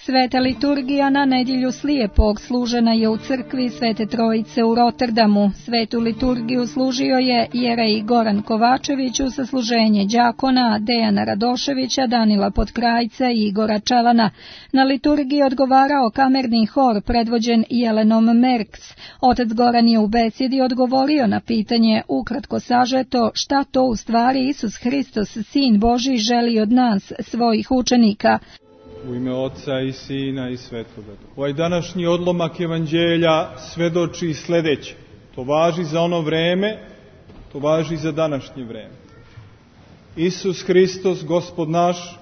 Sveta liturgija na nedjelju slijepog služena je u crkvi Svete Trojice u Rotterdamu. Svetu liturgiju služio je jerej Goran Kovačević u sasluženje đakona Dejana Radoševića, Danila Potkrajca i Igora Čalana. Na liturgiji odgovarao kamerni hor predvođen Jelenom Merks. Otac Goran je u besjedi odgovorio na pitanje, ukratko sažeto, šta to u stvari Isus Hristos, Sin Božji, želi od nas, svojih učenika. U ime Oca i Sina i Svetoga Duha. Ovaj današnji odlomak evanđelja svedoči sljedeće. To važi za ono vreme, to važi i za današnje vreme. Isus Hristos, Gospod naš,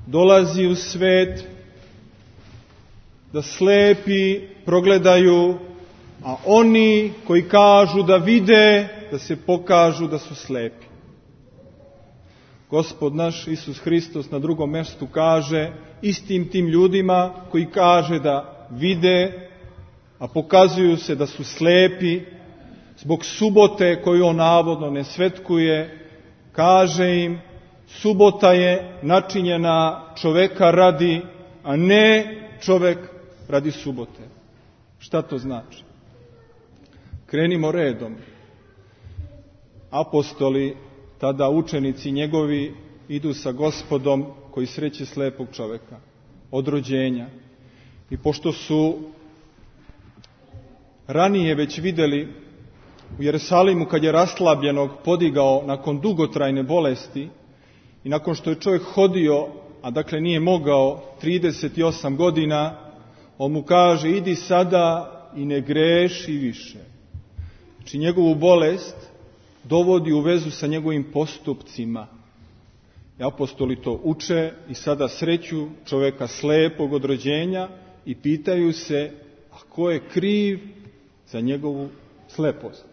dolazi u svet da slepi progledaju, a oni koji kažu da vide, da se pokažu da su slepi. Gospod naš Isus Hristos na drugom mjestu kaže istim tim ljudima koji kaže da vide, a pokazuju se da su slepi, zbog subote koju on navodno ne svetkuje, kaže im, subota je načinjena čoveka radi, a ne čovek radi subote. Šta to znači? Krenimo redom. Apostoli, tada učenici njegovi, idu sa Gospodom koji sreće slepog čoveka od rođenja. I pošto su ranije već vidjeli u Jerusalimu kad je raslabljenog podigao nakon dugotrajne bolesti i nakon što je čovjek hodio, a dakle nije mogao 38 godina, on mu kaže idi sada i ne greši više. Znači njegovu bolest dovodi u vezu sa njegovim postupcima. I apostoli to uče i sada sreću čovjeka slepog od rođenja i pitaju se, a ko je kriv za njegovu slepost?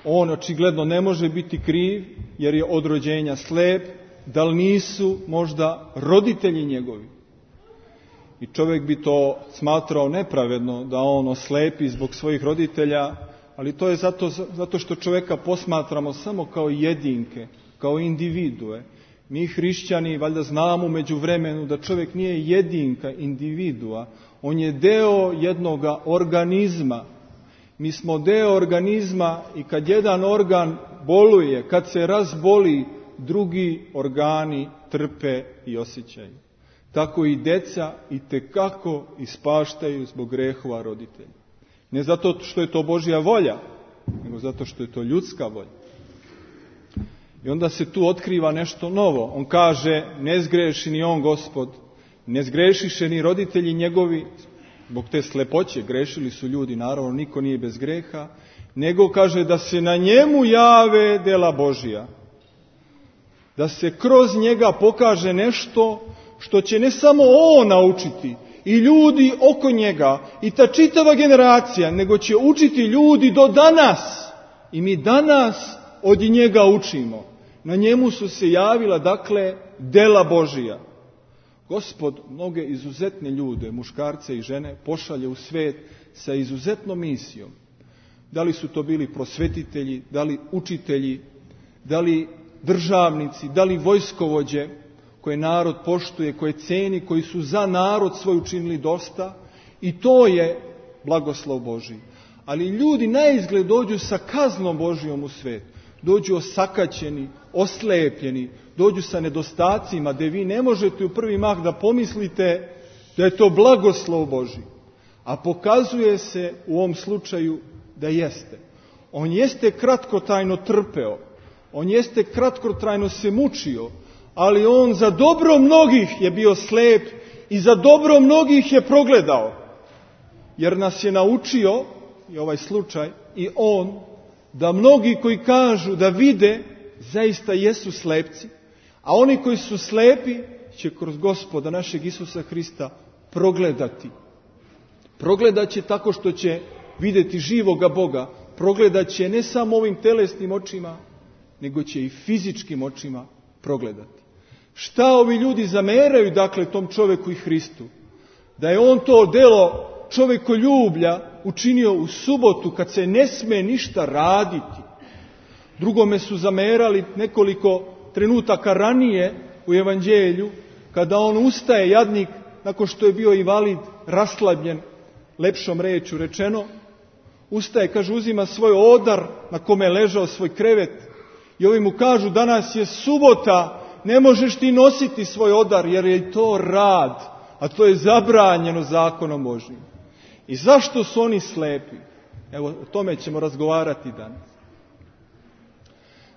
On očigledno ne može biti kriv jer je od rođenja slep, da li nisu možda roditelji njegovi? I čovjek bi to smatrao nepravedno da on oslepi zbog svojih roditelja, ali to je zato što čovjeka posmatramo samo kao jedinke, kao individue. Mi hrišćani valjda znamo među vremenu da čovjek nije jedinka, individua, on je deo jednoga organizma. Mi smo deo organizma i kad jedan organ boluje, kad se razboli, drugi organi trpe i osjećaju. Tako i deca itekako ispaštaju zbog grehova roditelja. Ne zato što je to Božja volja, nego zato što je to ljudska volja. I onda se tu otkriva nešto novo. On kaže, ne zgreši ni on, Gospod, ne zgrešiše ni roditelji njegovi, zbog te slepoće, grešili su ljudi, naravno, niko nije bez greha, nego kaže da se na njemu jave dela Božja. Da se kroz njega pokaže nešto što će ne samo on naučiti, i ljudi oko njega, i ta čitava generacija, nego će učiti ljudi do danas. I mi danas od njega učimo. Na njemu su se javila, dakle, dela Božija. Gospod mnoge izuzetne ljude, muškarce i žene, pošalje u svijet sa izuzetnom misijom. Da li su to bili prosvetitelji, da li učitelji, da li državnici, da li vojskovođe, koje narod poštuje, koje ceni, koji su za narod svoj učinili dosta, i to je blagoslov Božji. Ali ljudi naizgled dođu sa kaznom Božjom u svijet. Dođu osakaćeni, oslepljeni, dođu sa nedostacima, gdje vi ne možete u prvi mah da pomislite da je to blagoslov Božji. A pokazuje se u ovom slučaju da jeste. On jeste kratkotrajno trpeo, on jeste kratkotrajno se mučio, ali on za dobro mnogih je bio slep i za dobro mnogih je progledao. Jer nas je naučio, i ovaj slučaj, i on, da mnogi koji kažu da vide, zaista jesu slepci, a oni koji su slepi će kroz Gospoda našeg Isusa Hrista progledati. Progledat će tako što će vidjeti živoga Boga, progledat će ne samo ovim telesnim očima, nego će i fizičkim očima progledati. Šta ovi ljudi zameraju, dakle, tom čovjeku i Hristu? Da je on to delo čovjekoljublja učinio u subotu kad se ne sme ništa raditi. Drugome su zamerali nekoliko trenutaka ranije u evanđelju, kada on ustaje, jadnik, nakon što je bio invalid, raslabljen, lepšom rečju rečeno, ustaje, kaže, uzima svoj odar na kome je ležao, svoj krevet, i ovi mu kažu, danas je subota, ne možeš ti nositi svoj odar, jer je to rad, a to je zabranjeno zakonom Božjim. I zašto su oni slepi? Evo, o tome ćemo razgovarati danas.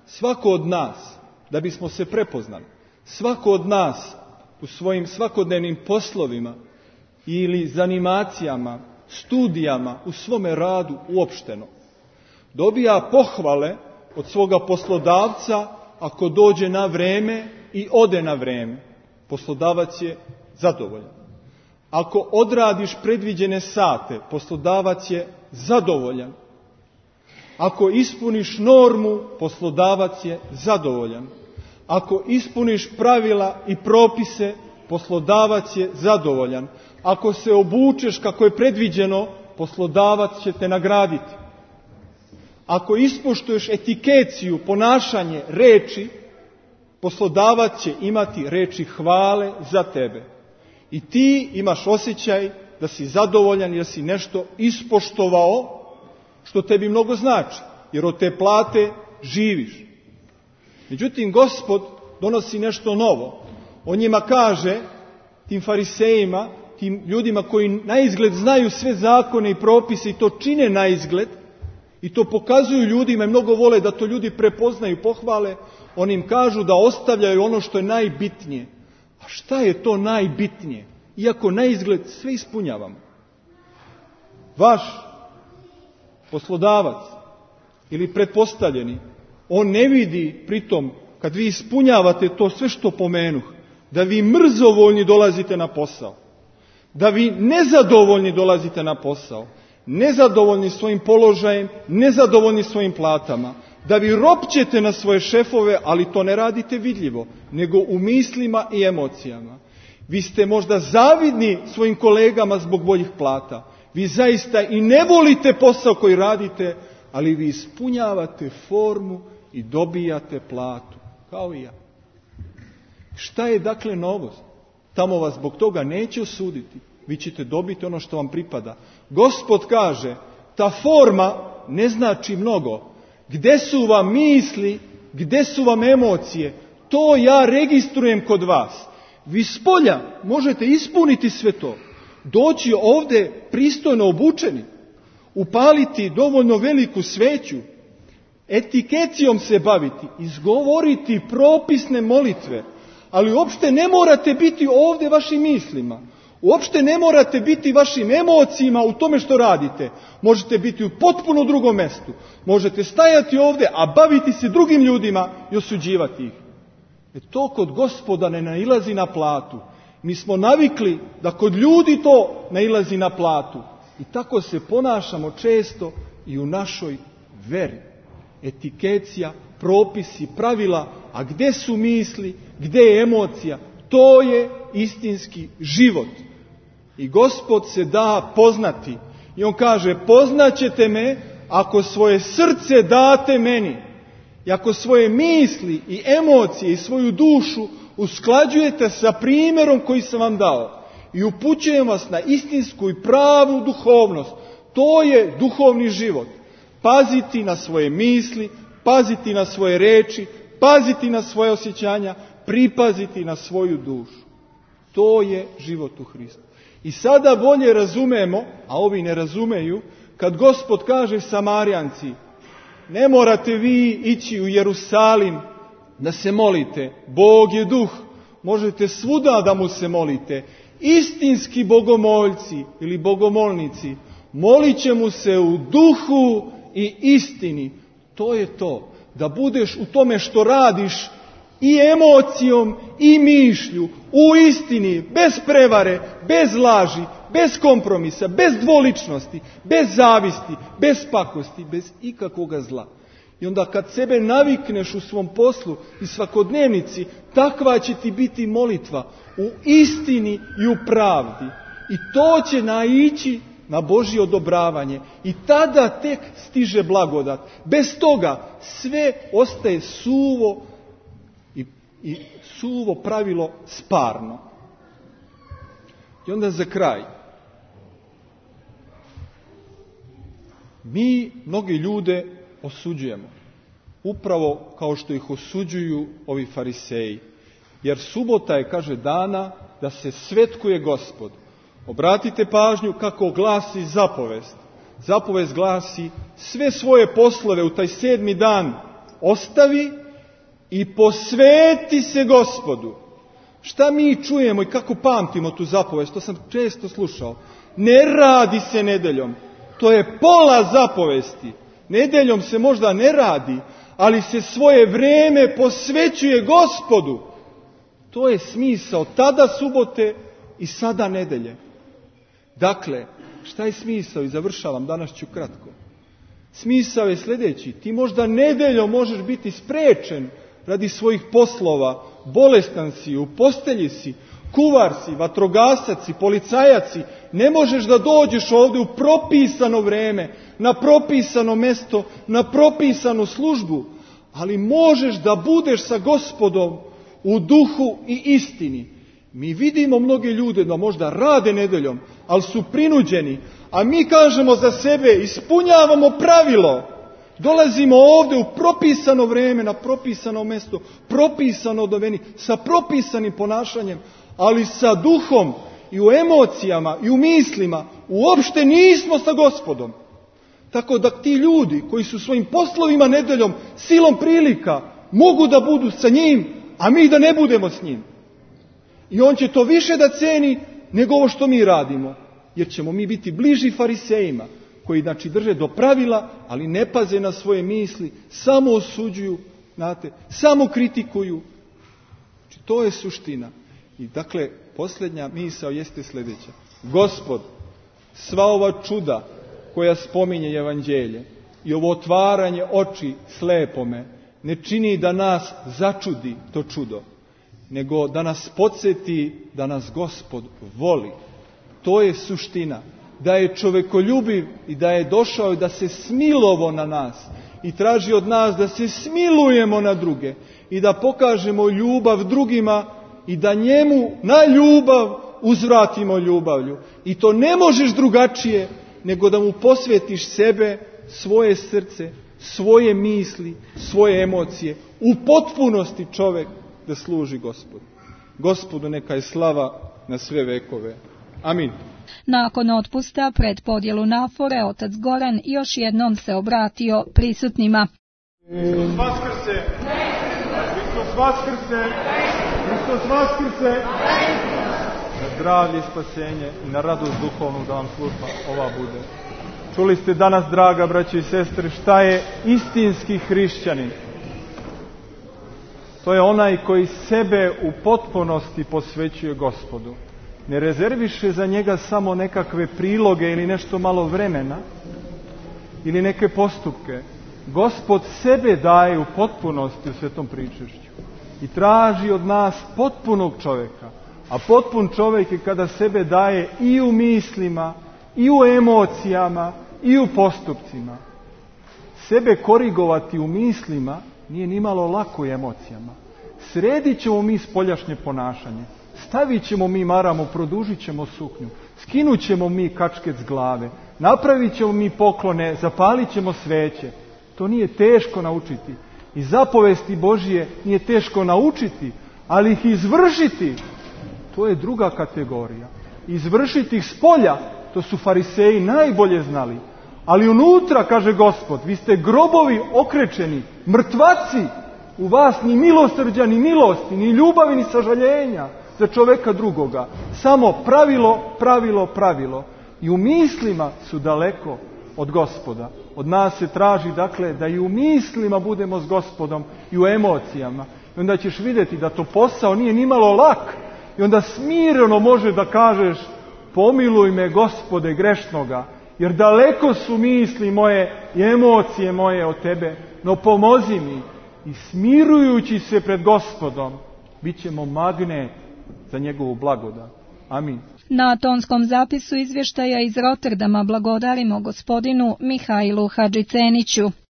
Svako od nas, da bismo se prepoznali, svako od nas u svojim svakodnevnim poslovima ili zanimacijama, studijama, u svome radu uopšteno, dobija pohvale od svoga poslodavca ako dođe na vreme i ode na vreme. Poslodavac je zadovoljan. Ako odradiš predviđene sate, poslodavac je zadovoljan. Ako ispuniš normu, poslodavac je zadovoljan. Ako ispuniš pravila i propise, poslodavac je zadovoljan. Ako se obučeš kako je predviđeno, poslodavac će te nagraditi. Ako ispoštuješ etikeciju, ponašanje, reči, poslodavac će imati reči hvale za tebe. I ti imaš osjećaj da si zadovoljan jer si nešto ispoštovao, što tebi mnogo znači, jer od te plate živiš. Međutim, Gospod donosi nešto novo. On njima kaže, tim farisejima, tim ljudima koji naizgled znaju sve zakone i propise i to čine naizgled, i to pokazuju ljudima i mnogo vole da to ljudi prepoznaju i pohvale, oni im kažu da ostavljaju ono što je najbitnije. A šta je to najbitnije? Iako naizgled sve ispunjavamo. Vaš poslodavac ili pretpostavljeni, on ne vidi pritom, kad vi ispunjavate to sve što pomenuh, da vi mrzovoljni dolazite na posao, da vi nezadovoljni dolazite na posao, nezadovoljni svojim položajem, nezadovoljni svojim platama, da vi ropćete na svoje šefove, ali to ne radite vidljivo, nego u mislima i emocijama. Vi ste možda zavidni svojim kolegama zbog boljih plata. Vi zaista i ne volite posao koji radite, ali vi ispunjavate formu i dobijate platu, kao i ja. Šta je dakle novost? Tamo vas zbog toga neće osuditi. Vi ćete dobiti ono što vam pripada. Gospod kaže, ta forma ne znači mnogo. Gde su vam misli, gde su vam emocije, to ja registrujem kod vas. Vi spolja možete ispuniti sve to. Doći ovdje pristojno obučeni, upaliti dovoljno veliku sveću, etikecijom se baviti, izgovoriti propisne molitve, ali uopšte ne morate biti ovdje vašim mislima. Uopšte ne morate biti vašim emocijama u tome što radite. Možete biti u potpuno drugom mjestu. Možete stajati ovdje, a baviti se drugim ljudima i osuđivati ih. To kod Gospoda ne nailazi na platu. Mi smo navikli da kod ljudi to nailazi na platu. I tako se ponašamo često i u našoj veri. Etikecija, propisi, pravila, a gdje su misli, gdje je emocija, to je istinski život. I Gospod se da poznati. I on kaže, poznaćete me ako svoje srce date meni. I ako svoje misli i emocije i svoju dušu usklađujete sa primjerom koji sam vam dao. I upućujem vas na istinsku i pravu duhovnost. To je duhovni život. Paziti na svoje misli, paziti na svoje reči, paziti na svoje osjećanja, pripaziti na svoju dušu. To je život u Hristu. I sada bolje razumemo, a ovi ne razumeju, kad Gospod kaže Samarijanci, ne morate vi ići u Jerusalim da se molite. Bog je duh, možete svuda da mu se molite. Istinski bogomoljci ili bogomolnici molit će mu se u duhu i istini. To je to, da budeš u tome što radiš i emocijom i mišlju, u istini, bez prevare, bez laži, bez kompromisa, bez dvoličnosti, bez zavisti, bez pakosti, bez ikakvoga zla. I onda kad sebe navikneš u svom poslu i svakodnevnici, takva će ti biti molitva u istini i u pravdi. I to će naići na Božje odobravanje. I tada tek stiže blagodat. Bez toga sve ostaje suvo i suvo pravilo sparno. I onda za kraj. Mi mnogi ljude osuđujemo. Upravo kao što ih osuđuju ovi fariseji. Jer subota je, kaže, dana da se svetkuje Gospod. Obratite pažnju kako glasi zapovest. Zapovest glasi: sve svoje poslove u taj 7. dan ostavi i posveti se Gospodu. Šta mi čujemo i kako pamtimo tu zapovest? To sam često slušao. Ne radi se nedeljom. To je pola zapovesti. Nedeljom se možda ne radi, ali se svoje vrijeme posvećuje Gospodu. To je smisao tada subote i sada nedelje. Dakle, šta je smisao? I završavam, danas ću kratko. Smisao je sljedeći: ti možda nedeljom možeš biti spriječen radi svojih poslova, bolestan si, u postelji si, kuvar si, vatrogasac si, policajac si, ne možeš da dođeš ovdje u propisano vrijeme, na propisano mjesto, na propisanu službu, ali možeš da budeš sa Gospodom u duhu i istini. Mi vidimo mnoge ljude da možda rade nedeljom, ali su prinuđeni, a mi kažemo za sebe: ispunjavamo pravilo. Dolazimo ovdje u propisano vrijeme, na propisano mjesto, propisano doveni, sa propisanim ponašanjem, ali sa duhom i u emocijama i u mislima uopšte nismo sa Gospodom. Tako da ti ljudi koji su svojim poslovima nedeljom, silom prilika, mogu da budu sa njim, a mi da ne budemo s njim. I on će to više da ceni nego ovo što mi radimo. Jer ćemo mi biti bliži farisejima, koji znači drže do pravila, ali ne paze na svoje misli, samo osuđuju, znate, samo kritikuju. Znači, to je suština. I dakle, posljednja misao jeste sljedeća. Gospod, sva ova čuda koja spominje Evanđelje i ovo otvaranje oči slepome ne čini da nas začudi to čudo, nego da nas podsjeti da nas Gospod voli. To je suština. Da je čovekoljubiv i da je došao i da se smilovo na nas i traži od nas da se smilujemo na druge i da pokažemo ljubav drugima i da njemu na ljubav uzvratimo ljubavlju. I to ne možeš drugačije nego da mu posvetiš sebe, svoje srce, svoje misli, svoje emocije, u potpunosti čovjek da služi Gospodu. Gospodu neka je slava na sve vekove. Amin. Nakon otpusta pred podjelu nafore, otac Goran još jednom se obratio prisutnima. Hristos vaskrse! Hristos vaskrse! Hristos vaskrse! Na zdravlje, spasenje i na radost duhovnu da vam služba ova bude. Čuli ste danas, draga braće i sestre, šta je istinski hrišćanin. To je onaj koji sebe u potpunosti posvećuje Gospodu. Ne rezerviše za njega samo nekakve priloge ili nešto malo vremena ili neke postupke. Gospod sebe daje u potpunosti u svetom pričešću i traži od nas potpunog čovjeka. A potpun čovjek je kada sebe daje i u mislima, i u emocijama, i u postupcima. Sebe korigovati u mislima nije nimalo lako u emocijama. Sredit ćemo mi spoljašnje ponašanje. Stavit ćemo mi maramu, produžit ćemo suknju, skinut ćemo mi kačket s glave, napravit ćemo mi poklone, zapalit ćemo sveće. To nije teško naučiti. I zapovesti Božije nije teško naučiti, ali ih izvršiti, to je druga kategorija. Izvršiti ih spolja, to su fariseji najbolje znali. Ali unutra, kaže Gospod, vi ste grobovi okrečeni, mrtvaci, u vas ni milosrđa, ni milosti, ni ljubavi, ni sažaljenja za čoveka drugoga. Samo pravilo, pravilo, pravilo. I u mislima su daleko od Gospoda. Od nas se traži, dakle, da i u mislima budemo s Gospodom i u emocijama. I onda ćeš vidjeti da to posao nije nimalo lak. I onda smireno može da kažeš: pomiluj me, Gospode, grešnoga, jer daleko su misli moje i emocije moje od tebe, no pomozi mi. I smirujući se pred Gospodom, bit ćemo magnet za njegovu blagodat. Amin. Na tonskom zapisu izvještaja iz Rotterdama blagodarimo gospodinu Mihajlu Hadžiceniću.